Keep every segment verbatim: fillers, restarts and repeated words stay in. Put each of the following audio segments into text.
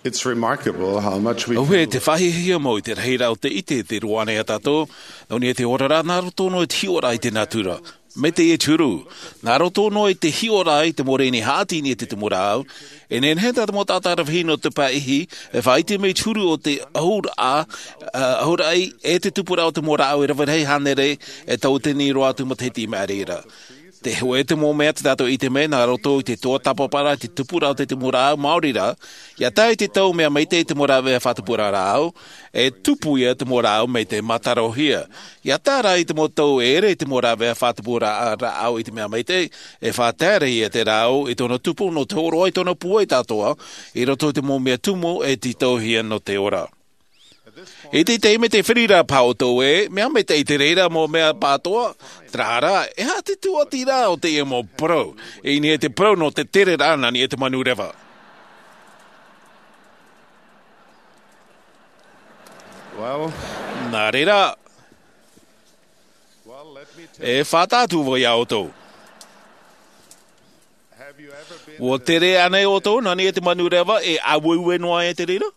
It's remarkable how much we Auē te faʻahiahia mau i te rahi rā o te ʻite te roa nei a tātou, nō niʻa i te oraraʻa nā roto noa i te hiʻoraʻa i te natura. Mai te huru, nā roto noa i te hiʻoraʻa i te mau reni haʻati i niʻa i te tumu rāʻau, e nehenehe tā te mau taʻata rave hia nō te pae ʻihi, e faʻaʻite mai te huru o te ʻauraʻa, ā, ʻauraʻi, e te tupuraʻa o te mau rāʻau e rave rahi hānere, e tauatini roa atu matahiti i maʻiri ra. Te hōʻē te mau mea tā tātou i ʻite mai, nā roto i te tuatāpaparaʻa i te tupuraʻa o te tumu rāʻau, maori rā, ʻia tae i te tau mea maitaʻi te mau rāveʻa faʻatupuraʻa rāʻau, e tupu ia te mau rāʻau mai te mātarohia. ʻIa tae rā i te mau tau e ʻere te mau rāveʻa faʻatupuraʻa rāʻau i te mea maitaʻi, e faʻatere ia te rāʻau i tōna tupu nō te hōroʻa i tōna puai atoʻa, i roto i te mau mea tumu e tītauhia nō te ora. I te taime tē feruri ra paha ʻoutou ē, mea maitaʻi te reira mau mea pāʻatoʻa, terā rā, e aha te tūʻatiraʻa o teie mau parau, i niʻa i te parau nō te tereraʻa nā niʻa i te manu reva. Well, nā reira, well, let me tell e faʻataʻa atu vau iā ʻoutou. Have you ever been ʻUa tere ānei ʻoutou nā niʻa i te manu reva e ʻāueue noa ai te reira?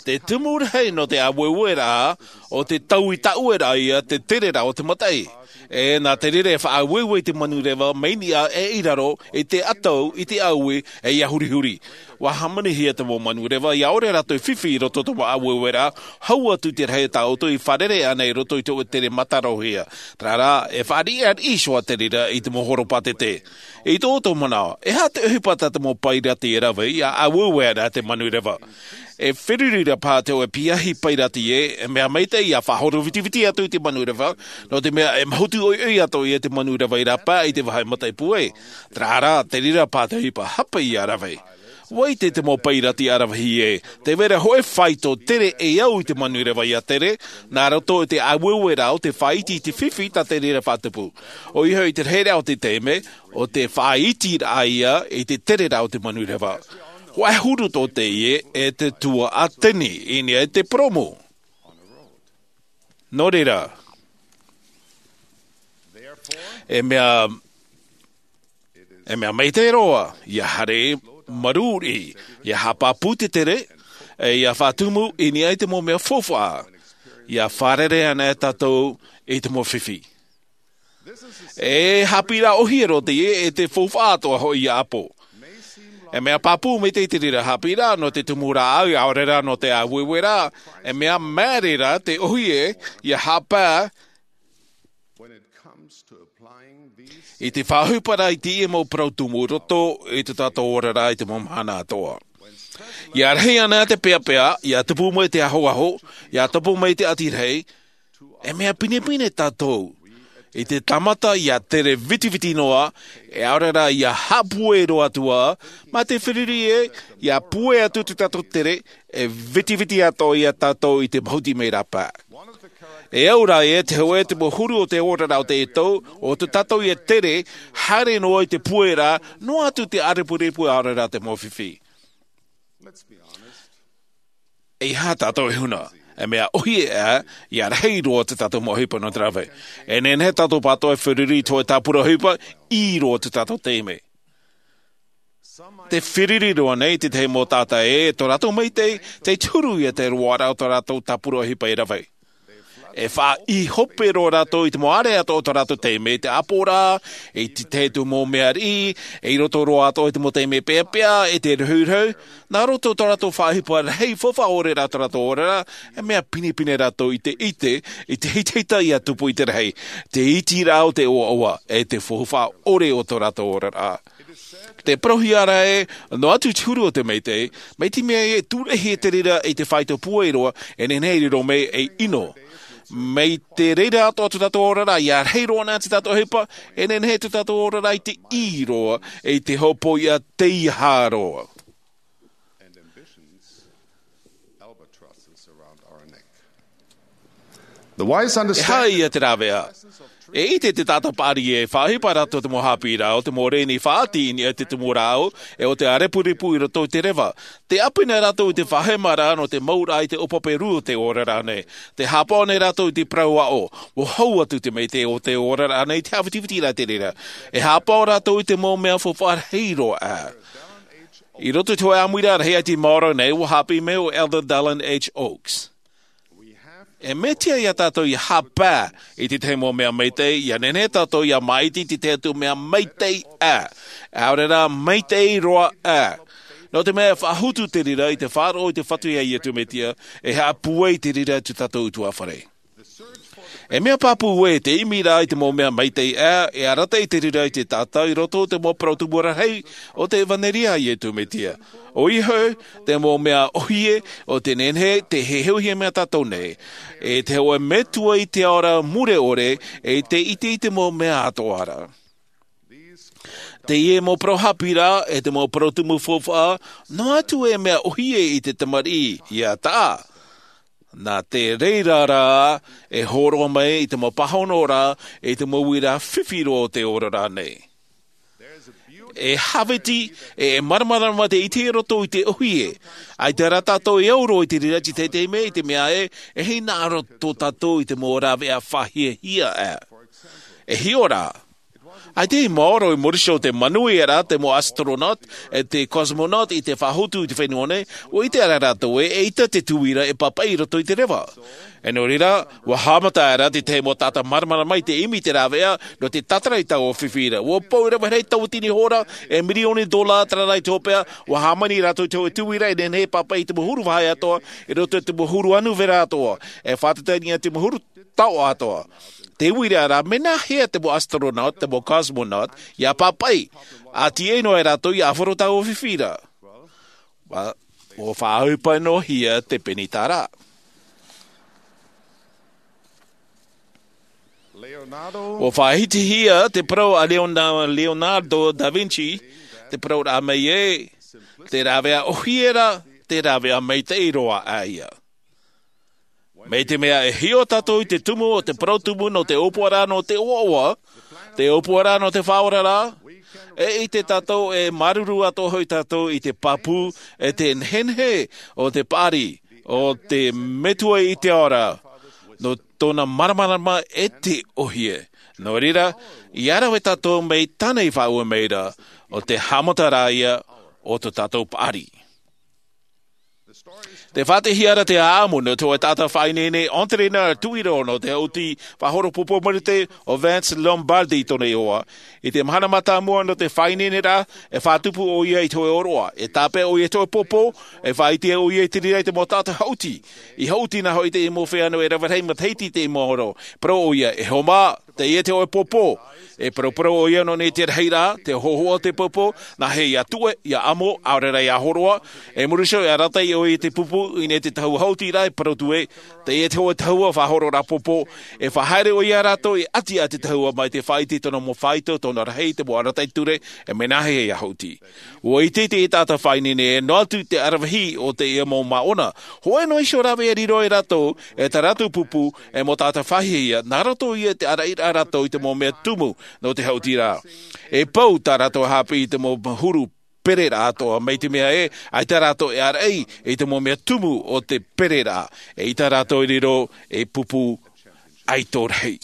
Te tumu rahi nō te ʻāueueraʻa, ʻo te taui taʻueraʻa ia te tereraʻa o te mataʻi. E nā te reira e faʻaʻāueue i te manu reva mai niʻa e i raro, i te ʻatau, i te ʻāue, e ʻia hurihuri. ʻUa hāmanihia te mau manu reva, ʻia ʻore rātou e fifi i roto i te mau ʻāueueraʻa, hau atu te rahi tā ʻoutou i fārerei ānei i roto i te ʻōtere mātarohia. Terā rā, e faʻariʻariʻi iho ā te reira i te mau horopātete. I tō ʻoutou manaʻo, e aha te ʻohipa tā te mau pairati e rave, ʻia ʻāueue ana te manu reva? E feruri ra paha te hōʻē piahi pairati ē, e mea maitaʻi ʻia faʻahoro vitiviti atu i te manu reva, nō te mea e mahutu ʻoiʻoi atoʻa ia te manu reva i rāpae i te vāhi mataʻi puai. Terā rā, te reira paha te ʻohipa hape ʻia rave. ʻUa ʻite te mau pairati ʻaravihi ē, tē vai ra hōʻē faito tere e au i te manu reva ʻia tere, nā roto i te ʻāueueraʻa ʻo te faʻaiti i te fifi tā te reira faʻatupu. ʻOia hoʻi te rahiraʻa o te taime, ʻo te faʻaitiraʻa ia i te tereraʻa o te manu reva. Hōʻē huru tō teie e te tuaʻatini i niʻa i te purōmu. Nō reira, e mea, e mea maitaʻi roa, ʻia haere marū riʻi, ʻia haʻapāpū te tere, e ʻia faʻatumu i niʻa i te mau mea faufaʻa, ʻia fārerei ana e tātou i te mau fifi. E haʻapiʻiraʻa ʻōhie roa teie e te faufaʻa atoʻa hoʻi ia ʻāpō. E mea pāpū maitaʻi te reira haʻapiʻiraʻa nō te tumu rāʻau, ʻaore rā nō te ʻāueueraʻa, e mea māere rā te ʻōhie ʻia haʻapae i te faʻaʻohiparaʻa i teie mau parau tumu i roto i tō tātou oraraʻa i te mau mahana atoʻa. ʻIa rahi ana te peapea, ʻia tupu mai te ahoaho, ʻia tupu mai te ʻati rahi, e mea pinepine tātou i te tāmata ʻia tere vitiviti noa, e ʻaore rā ʻia haʻapūai roa atu ā, mā te feruri ē, ʻia pūai atu tō tātou tere, e vitiviti atoʻa ia tātou i te mahuti mai rāpae. E au rā ē, te hōʻē te mau huru o te oraraʻa o teie tau, ʻo tō tātou ia tere, haere noa i te pūairaʻa, noa atu te ʻārepurepu ʻaore rā te mau fifi. E aha tātou e huna, e mea ʻōhie ā, ʻia rahi roa tō tātou mau ʻohipa nō te rave. E nehenehe tātou pāʻatoʻa e feruri i te hōʻē tāpura ʻohipa, ʻī roa tō tātou taime. Tē feruri roa nei te tahi mau taʻata ē, tō rātou maitaʻi, tē huru ia te roaraʻa o tō rātou tāpura ʻohipa e rave. E faʻaʻī hope roa rātou i te mau ʻāreʻa atoʻa o tō rātou taime, te ʻāpoʻoraʻa, i te tahi atu mau mea riʻi, i roto roa atoʻa i te mau taime peapea, i te rehurehu, nā roto tō rātou faʻaʻohipa rahi faufaʻa ʻore rā tō rātou oraraʻa, e mea pinepine rātou i te ʻite, i te hitahita ʻia tupu i te rahi, te itiraʻa o te ʻoaʻoa, e te faufaʻa ʻore o tō rātou oraraʻa. Te parauhia ra ē, noa atu te huru o te maitaʻi, mai te mea e tūraʻi te reira i te faito pūai roa, e nehenehe e riro mai ei ʻino. Mai te reira atoʻa tō tātou oraraʻa, ʻia rahi roa na tō tātou ʻohipa, e nehenehe tō tātou oraraʻa i te ʻī roa, i te hopoiʻa tei aha roa. The wise E understand haere ia te rāveʻa. E ʻite te taʻata paʻari e faʻaʻohipa rātou te mau haʻapiʻiraʻa o te mau reni faʻaʻati i niʻa i te tumu rāʻau, e ʻo te ʻārepurepu i roto i te reva. Tē ʻāpī nei rātou i te faʻahemaraʻa nō te mauraʻa i te ʻōpape rū o te oraraʻa nei. Tē haʻapaʻo nei rātou i te parau aʻo, ʻua hau atu te maitaʻi o te oraraʻa nei i te haʻavitivitiraʻa i te reira. E haʻapaʻo rātou i te mau mea faufaʻa rahi roa ā. I roto i te hōʻē ʻāmuiraʻa rahi ʻati maoro nei, ua haʻapiʻi mai ʻo Elder Dallin H. Oaks. E mea tiʻa ia tātou ia haʻapae i te tahi mau mea maitaʻi, ia nehenehe tātou ia māʻiti i te tahi atu mea maitaʻi ā, ʻaore rā maitaʻi roa ā. Nō te mea e faʻahotu te reira i te faʻaroʻo i te Fatu iā Iesu Mesia, e haʻapūai te reira i tō tātou ʻutuāfare. E mea pāpū ē, te ʻimiraʻa i te mau mea maitaʻi ā, e arataʻi te reira i te tātau i roto i te mau parau tumu rahi o te ʻevanelia a Iesu Mesia. ʻOia hoʻi, te mau mea ʻōhie, ʻo te nehenehe te heheuhia mai tātou nei, e te hōʻē Metua i te ao ra mure ʻore, e te ʻite i te mau mea atoʻa ra. Teie mau parau haʻapiʻiraʻa, e te mau parau tumu faufaʻa, noa atu e mea ʻōhie i te tamariʻi, ʻia taʻa. Nā te reira rā, e hōroʻa mai i te mau pāhonoraʻa, i te mau uiraʻa fifi roa o te oraraʻa nei. E hāviti, e, e māramarama te ʻite i roto i te ʻōhie. ʻAita rā tātou e au roa i te reira i te taime, i te mea ē, e hinaʻaro tō tātou i te mau rāveʻa faʻahiahia ā. E hiʻo rā. ʻAita i maoro i muri iho te manuia ra, te mau astronaut, e te cosmonaut i te faʻahotu i te fenua nei, ʻua ʻite ra rātou ē, eʻita te tuira e pāpaʻi i roto i te reva. E nō reira, ua haʻamata ra te tahi mau taʻata māramarama i te ʻimi i te rāveʻa, nō te tātara i taua fifi ra. Ua pou rave rahi tauatini hora, e mirioni dola terā rā i te hopeʻa, ua hāmani rātou i te hōʻē tuira e nehenehe e pāpaʻi i te mau huru vāhi atoʻa, i roto i te mau huru anu vera atoʻa, e faʻatatani i te mau huru taoʻa atoʻa. Te uiraʻa rā, mea nāhea te mau astronaut, te mau cosmonaut, ʻia pāpaʻi, ʻa tīaʻi noa ai rātou ʻia ʻāfaro taua fifi ra. Ua, ua faʻaʻohipa noa hia te penitara. Ua faʻahitihia te parau a Leona-, Leonardo da Vinci, te parau ra mai ē, te rāveʻa ʻōhie ra, te rāveʻa maitaʻi roa ā ia. Mai te mea e hiʻo tātou i te tumu o te parau tumu nō te ʻōpuaraʻa nō te ʻoaʻoa, te ʻōpuaraʻa nō te faʻaoraraʻa, e ʻite tātou e māuruuru atoʻa hoʻi tātou i te pāpū, e te nehenehe o te paʻari, o te Metua i te ao ra, nō tōna māramarama e te ʻōhie. Nō reira, ʻia rave tātou mai tāna i faʻaue mai ra, ʻo te haʻamataraʻa ia o tō tātou paʻari. Tē faʻaʻitehia ra te ʻāʻamu nō te hōʻē taʻata faʻaineine, entraîneur tuʻiro nō te haʻuti faʻahoro pōpō marite ʻo Vince Lombardi tōna iʻoa. I te mahana mātāmua nō te faʻaineineraʻa, e faʻatupu ʻoia i te hōʻē ʻōroʻa, e tāpeʻa ʻoia i te hōʻē pōpō, e faʻaʻite ʻoia i te reira i te mau taʻata haʻuti. I haʻuti nā hoʻi te mau feiā nō e rave rahi matahiti i te mau ʻōroʻa. Parau ʻoia, e hoa mā, teie te hōʻē pōpō. E paraparau ʻoia nō nei te rahiraʻa, te hōhoʻa o te pōpō, nāhea ʻia tuʻe, ʻia ʻamo, ʻaore rā ʻia hōroʻa. I muri iho e arataʻi ʻoia i te pupu, i niʻa i te tahua haʻuti ra, e parau atu ē, teie te hōʻē tahua faʻahororaʻa pōpō. E faʻahaere ʻoia iā rātou i ʻati i te tahua mai te faʻaʻite i tōna mau faito, tōna rahi, te mau arataʻi ture, e mea nāhea ʻia haʻuti. ʻUa ʻite te taʻata faʻaineine ē, noa atu te aravihi o teie mau māʻona. Hōʻē noa iho rāveʻa e riro ia rātou, e tā rātou pupu, e mau taʻata faʻahiahia, nā roto ia i te ʻaraʻiraʻa rātou i te mau mea tumu nō te haʻuti ra. E pau tā rātou haʻapiʻi i te mau huru pereraʻa atoʻa, mai te mea ē, ʻaita rātou e ʻaraʻi i te mau mea tumu o te pereraʻa, eʻita rātou e riro ei pupu ʻaito rahi.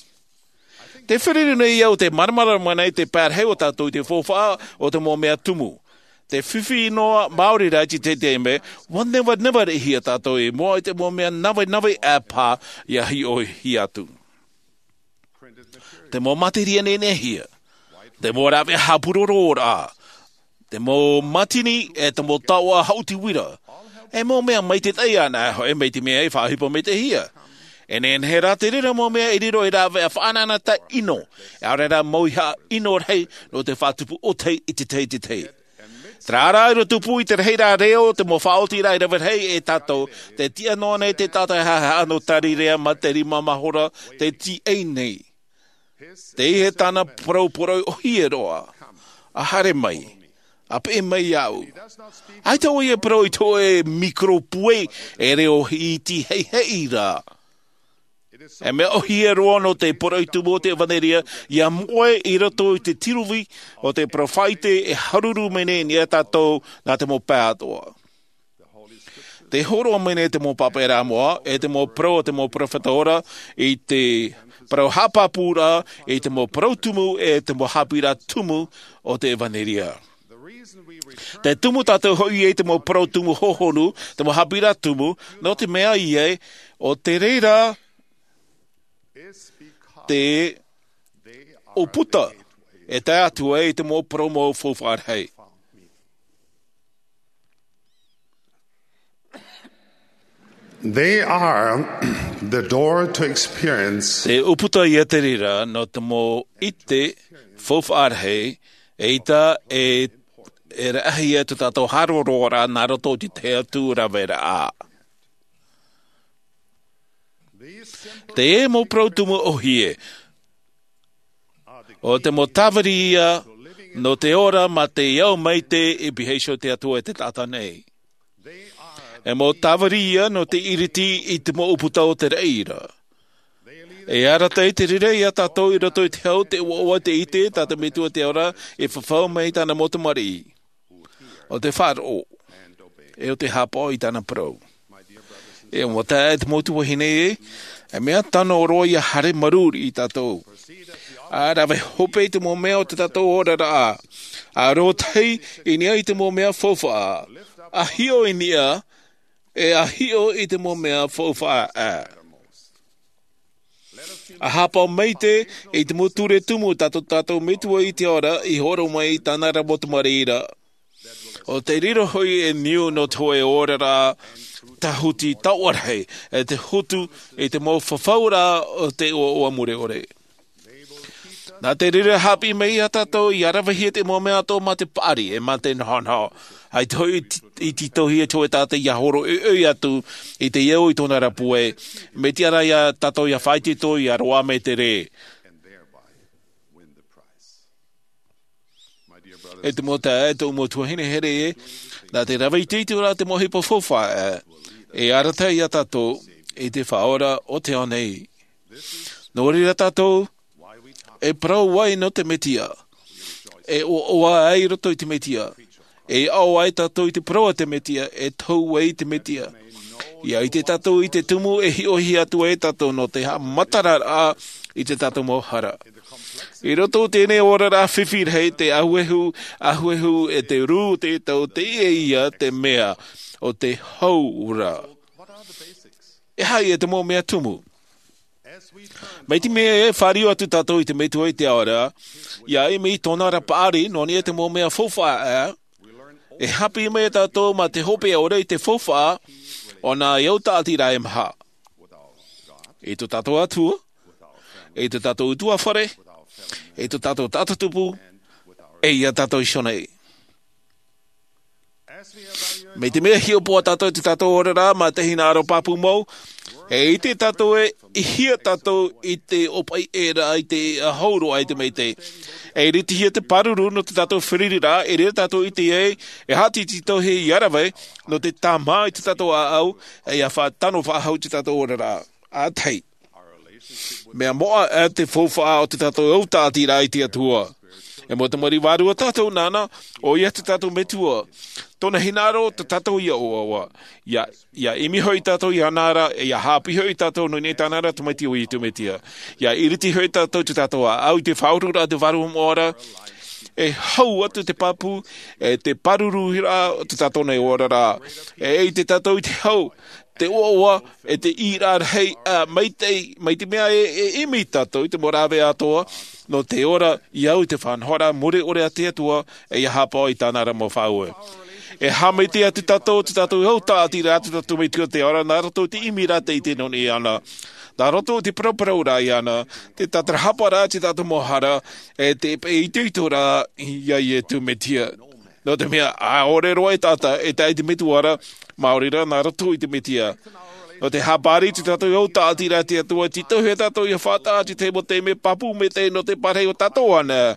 Tē fārerei nei au te māramarama nei te pae rahi o tātou i te faufaʻa o te mau mea tumu. Tē fifi noa maori ra i te taime, ʻua nevanevaraʻahia tātou i mua i te mau mea navenave ʻāpī ʻia hiʻohia atu. Te mau materia neneʻihia, te mau rāveʻa haʻapurororaʻa, te mau mātini, e te mau taoʻa haʻuti uira. E mau mea maitaʻi anaʻe hoʻi, mai te mea e faʻaʻohipa maitaʻihia. E nehenehe rā te reira mau mea e riro ei rāveʻa faʻanahonahoraʻa ʻino, ʻaore rā mau ihaʻa ʻino rahi nō te faʻatupu ʻōtahi i te tahi i te tahi. Terā rā, i roto pū i te rahiraʻa reo, te mau faʻaotiraʻa i rave rahi e tātou, tē tiʻa noa nei te taʻata e haʻehaʻa nō Tarirea mā te rima mahora, tē tīaʻi nei. Teie tāna parau poroʻi ʻōhie roa. ʻA haere mai. ʻA peʻe mai iāʻu. ʻAita ʻoia e parau i te hōʻē microbe e reo iti heiheʻi ra. E mea ʻōhie roa nō te poroʻi tumu o te ʻevanelia, ʻia moʻe i roto i te tiruvi o te peropheta e haruru mai nei ia tātou nā te mau pae atoʻa. Tē hōroʻa mai nei te mau pāpaʻiraʻa moʻa, e te mau parau o te mau peropheta ora, i te parau haʻapāpūraʻa, i te mau parau tumu, e te mau haʻapiʻiraʻa tumu o te ʻevanelia. Te tumu tātou hoʻi i te mau parau tumu hohonu, te mau haʻapiʻiraʻa tumu, nō te mea ia, ʻo te reira te ʻūputa e tae atu ai i te mau parau mau faufaʻa rahi. They are the door to experience. Te ʻūputa ia te reira nō te mau ʻite faufaʻa rahi, eʻita e, e rahi ia tō tātou haʻaroʻo ra nā roto i te tahi atu raveraʻa. Te mau parau tumu ʻōhie, ʻo te mau tāviri ia nō te ora mā te ao maitaʻi i pihaʻi iho i te Atua e te taʻata nei. E mau tāviri ia nō te ʻiriti i te mau ʻūputa o te reira. E arataʻi te reira ia tātou i roto i te hau, te ʻoaʻoa, te ʻite tā te Metua i te ao ra e fafau mai i tāna mau tamariʻi, ʻo te faʻaroʻo, e ʻo te haʻapaʻo i tāna parau. E mau taeaʻe, e te mau tuahine, e mea tano roa ia haere marū i tātou. ʻA rave hope i te mau mea o tō tātou oraraʻa, ʻa rōtahi i niʻa i te mau mea faufaʻa, ʻa hiʻo i niʻa, e ʻa hiʻo i te mau mea faufaʻa. ʻA haʻapaʻo maitaʻi i te mau ture tumu tā tō tātou Metua i te ao ra i hōroʻa mai i tāna ra mau tamariʻi ra, ʻo tē riro hoʻi ei niu nō te hōʻē oraraʻa tāhuti taoʻa rahi, e te hotu i te mau fafauraʻa o te ʻoaʻoa mure ʻore. Nā te reira e haʻapiʻi mai ia tātou ia ravehia te mau mea atoʻa mā te paʻari, e mā te nohonoho. ʻAita hoʻi i tītauhia te hōʻē taʻata ia hōroʻa ʻoiʻoi atu i te au i tōna ra puai, mai te ara ia tātou ia faʻaitoito ia roaʻa mai te rē. E te mau taeaʻe, e tōʻu mau tuahine here, nā te rave itoito ra te mau ʻohipa faufaʻa, e arataʻi ia tātou i te Faʻaora o te ao nei. Nō reira tātou e parau ai nō te Mesia, e ʻoaʻoa ai i roto i te Mesia, e aʻo ai tātou i te parau a te Mesia, e tohu ai i te Mesia. Ia ʻite tātou i te tumu e hiʻohia atu ai tātou nō te haʻamataraʻa i tō tātou mau hara. I roto i teie oraraʻa fifi rahi, te ahuehu, ahuehu e te rū o te tau, teie ia te mea o te hau ra. E aha ia te mau mea tumu? Mai te mea e fāriu atu tātou i te Metua i te ao ra, ia ʻimi i tōna ra paʻari, nō niʻa i te mau mea faufaʻa, e haʻapiʻi mai tātou mā te hopeʻa ʻore i te faufaʻa o nā au tāʻatiraʻa e maha. I tō tātou Atua, i tō tātou ʻutuāfare, i tō tātou taʻata tupu, e ia tātou iho nei. Mai te mea e hiʻopoʻa tātou i tō tātou oraraʻa mā te hinaʻaro pāpū mau, e ʻite tātou ē, ʻihia tātou i te ʻōpaʻi ʻē ra i te hau roa i te maitaʻi. E iritihia te pāruru nō tō tātou fārereiraʻa, i reira tātou e ʻite ai, e haʻatītītauhia ia rave nō te tāmā i tō tātou ʻāʻau, e ia faʻatano faʻahou i tō tātou oraraʻa. ʻA tahi. Mea moʻa ʻā te faufaʻa o tō tātou au tāʻatiraʻa i te Atua. E mau tamariʻi vārua tātou nāna, ʻoia tō tātou Metua. Tōna hinaʻaro tō tātou ia ʻoaʻoa. Ia, ia ʻimi hoʻi tātou iāna ra, e ia haʻapiʻi hoʻi tātou nō niʻa i tāna ra Tamaiti ʻo Iesu Mesia. Ia iriti hoʻi tātou i tō tātou ʻāʻau i te faʻaururaʻa o te Vārua Moʻa ra, e hau atu te pāpū, e te pāruruhia o tō tātou nei oraraʻa. E ʻite tātou i te hau, te ʻoaʻoa, e te ʻīraʻa rahi, ā, maitaʻi, mai te mea e, e ʻimi tātou i te mau rāveʻa atoʻa, nō te ora i au i te faʻanahoraʻa mure ʻore a te Atua, e ia haʻapaʻo i tāna ra mau faʻaue. E haʻamaitaʻi atu tātou, tō tātou au tāʻatiraʻa, tō tātou Metua i te ao ra, nā roto i te ʻimiraʻa tei ʻite nō niʻa iāna. Nā roto i te paraparau ra iāna, te tātarahapa ra i tō tātou mau hara, e te peʻe itoito ra ia Iesu Mesia. Nō te mea, ʻaore roa e taʻata, e tae i te Metua ra, maori rā nā roto i te Mesia. Nō te haʻapaʻari i tō tātou au tāʻatiraʻa i te Atua, tītauhia tātou ia faʻataʻa i te tahi mau taime pāpū maitaʻi nō te parahi o tātou anaʻe.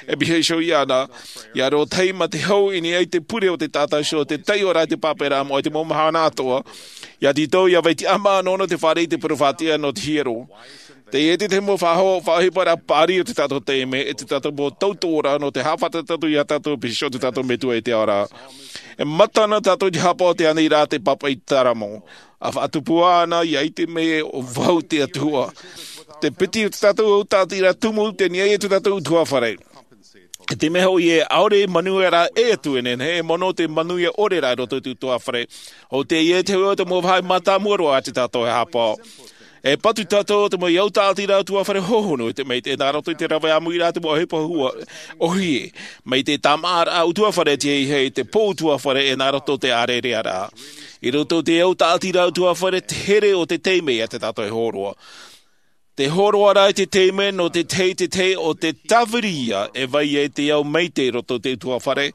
E pihaʻi iho iāna, ia rōtahi mā te hau i niʻa i te pure o te taʻata iho, te taiʻoraʻa i te pāpūraʻa moʻa i te mau mahana atoʻa. Ia tītau, ia vai tiʻamā noa nō te fāriʻi i te peropheta nō te hiero. Teie te tahi mau faʻaho-, faʻaʻohiparaʻa paʻari o tō tātou taime, e tō tātou mau tautoʻoraʻa nō te haʻafātata atu ia tātou i te piha o tō tātou Metua i te ao ra. E mata na tātou i te haʻapaʻo i te aniraʻa a te Pāpaʻi Taramo. ʻA faʻatupu āna, ia ʻite mai ē ʻo vau te Atua. Te piti o tō tātou au tāʻatiraʻa tumu, tē niʻa ia tō tātou ʻutuāfare. E te mea hoʻi e ʻaore manuia rā e atu e nehenehe e mono te manuia ʻore rā i roto i te utuafare. ʻO teie te hoʻi o te mau vāhi mātāmua roa a te tātou e hāpaʻo. E patu tātou te mau au tāʻatiraʻa utuafare hohonu i te maitaʻi nā roto i te rave ʻāmui rā te mau ʻohipa hua ʻohie mai te tāmāʻaraʻa utuafare te heihei te pō utuafare e nā roto te ʻārearea rā. I roto i te au tāʻatiraʻa utuafare te here o te taime ia te tātou e hōroa. Te hōroa rā i te taime nō te tahi te tahi o te tāviri ia e vai ai te au maitaʻi i roto i te utuafare.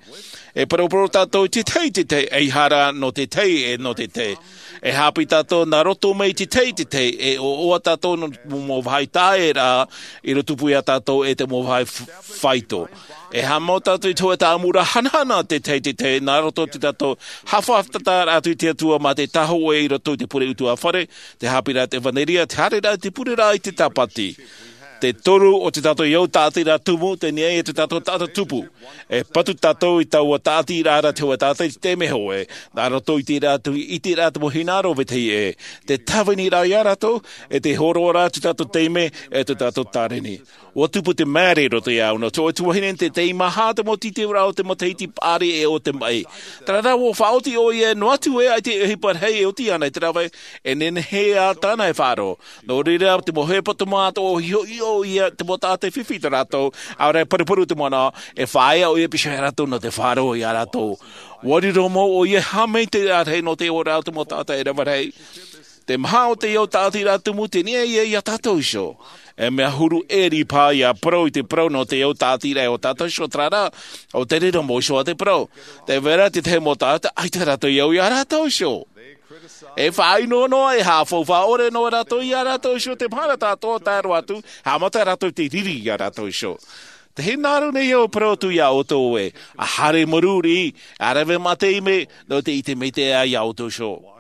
E poroporo tātou i te tahi te tahi ei hara nō te tahi e nō te tahi. E hāpī tātou nā roto mai i te tahi te tahi e ʻoʻoa tātou nō mau vāhi tāʻatiraʻa i roto pū ia tātou e te mau vāhi faito. E haʻamau tātou i te hoʻe tāmura hanahana te tahi te tahi nā roto i te tātou haʻafātata atu i te atua mā te tahoʻe i roto i te pure utuafare, te hāpīraʻa te ʻevanelia te haereraʻa i te pureraʻa i te tāpati. Te toru o te tātou au tāʻatiraʻa tumu te niʻa i te tātou taʻata tupu. E patu tātou i taua tāʻatiraʻa te hoʻe tātou i te taime hoʻi nā roto i te rā te ʻiteraʻa te mau hinaʻaro vetahi ʻē. Te tāviniraʻa ia rātou e te hōroaraʻa te tātou taime e te tātou tāreni. Ua tupu te maere i roto ia au nō te hoʻe tuahine te taime maha te mau titiraʻa o te matahiti paʻari e o te maʻi. Tarara ua faʻaoti ʻoia noa atu e ai te ʻohipa rahi e oti ana i te rave e nehenehe ā tāna e faʻaroʻo. Nō reira te mau ʻohipa te mau atoʻa hiʻohiʻo ia te mau taʻata e fifi i tā rātou ʻaore e paruparu te mana e faʻaea ʻoia pīhaʻi rātou nō te faʻaroʻo ia rātou. Ua riro mau ʻoia e haʻamaitaʻi rahi nō te ora o te mau taʻata e rave rahi. Te maha o te au tāʻatiraʻa tumu te niʻa ia ia tātou iho. E mea huru ʻē ripa ia parau i te parau nō te au tāʻatiraʻa o tātou iho tarara. ʻO te riro mau iho a te parau te vera te tahi mau taʻata ʻaita rātou i au ia rātou iho. E faʻaʻino noa e haʻafaufaʻa ʻore noa rātou ia rātou iho te mahana tātou tae roa atu haʻamata rātou te riri ia rātou iho. Te hinaʻaro nei au parau atu ia ʻoutou ē, a haere maruri a rave mā te ime nō te ʻite maitaʻi ia ʻoutou iho.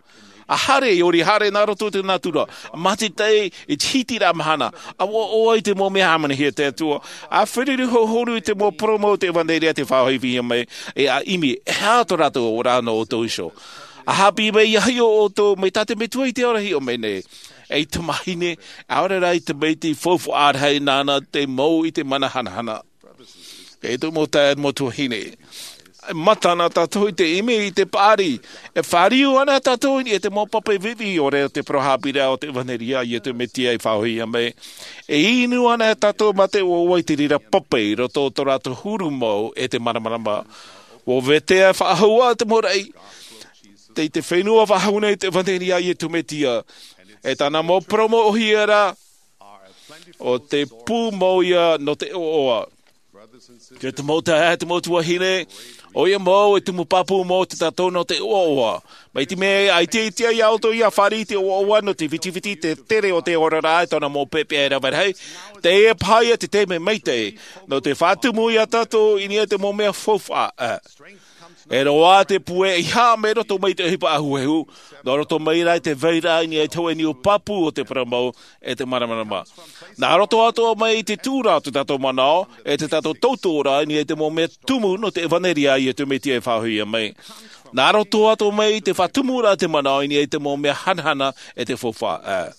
A haere e ori haere nā roto i te natura mā te taʻi i te hitiraʻa mahana a ua ʻoaʻoa i te mau mea hāmanihia te atua. A feruri hohonu i te mau poromo o te ʻevanelia te faʻahoʻihia mai e a ʻimi e hā tō rātou ora nō ʻoutou iho. A hāpī mai ia hiʻo ʻoutou mai tā te metua i te ora hiʻo mai nei. Ei tamahine ʻaore rā i te maitaʻi faufaʻa rahi nāna te mau i te mana hanahana. E tō mau taeaʻe mau tuahine, e mata ana tātou i te ʻimi i te paʻari. E fāriu ana tātou i niʻa i te mau pape viʻiviʻi ʻore o te parau hāpīraʻa o te ʻevanelia a iesu mesia i faʻahoʻihia mai. E inu ana tātou mā te ʻoaʻoa i te reira pape i roto o tō rātou huru mau e te māramarama. Ua vetea e faʻahou ā te mau raʻi tei te fenua faʻahou nei te ʻevanelia a iesu mesia. E tāna mau poromo ʻohie rā ʻo te pū mau ia nō te ʻoaʻoa. Te mau taeaʻe te mau tuahine, ʻoia mau e tumu pāpū mau te tātou nō te ʻoaʻoa. Mai te mea ʻaita ʻaita ia ʻoutou ia fāriʻi te ʻoaʻoa nō te vitiviti te tere o te oraraʻa e tōna mau pepeʻa e rave rahi. Teie paha ia te taime maitaʻi nō te faʻatumu ia tātou i niʻa i te mau mea faufaʻa. E roaʻa te puʻe i haʻamau roto mai i te ʻohipa ahuehu nō roto mai rā i te vairaʻa i niʻa i te hoʻe niu pāpū o te parau mau e te māramarama. Nā roto atoʻa mai i te tūraʻa o tō tātou manaʻo e tō tātou tautoʻoraʻa i niʻa i te mau mea tumu nō te ʻevanelia a iesu mesia e faʻahoʻihia mai. Nā roto atoʻa mai i te faʻatumuraʻa te manaʻo i niʻa i te mau mea hanahana e te faufaʻa.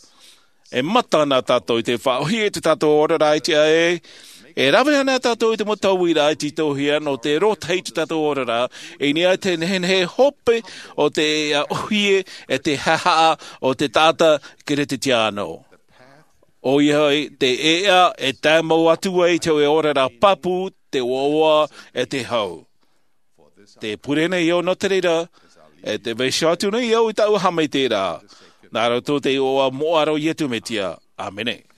E mata ana tātou i te faʻaʻohie i tō tātou oraraʻa i te ʻae. E rave ana tātou i te mau tauiraʻa e tītauhia nō te rotahi i tō tātou oraraʻa i niʻa i te nehenehe hope o te ʻohie e te haʻahaʻa o te taʻata kerisetiano. ʻOia hoʻi te ʻēʻa e tae mau atu ai i te hoʻe oraraʻa pāpū te ʻoaʻoa e te hau. Te pure nei au nō te reira e te vaiiho atu nei au i tāʻu haʻamaitaʻiraʻa nā roto i te iʻoa moʻa o iesu mesia. ʻĀmene.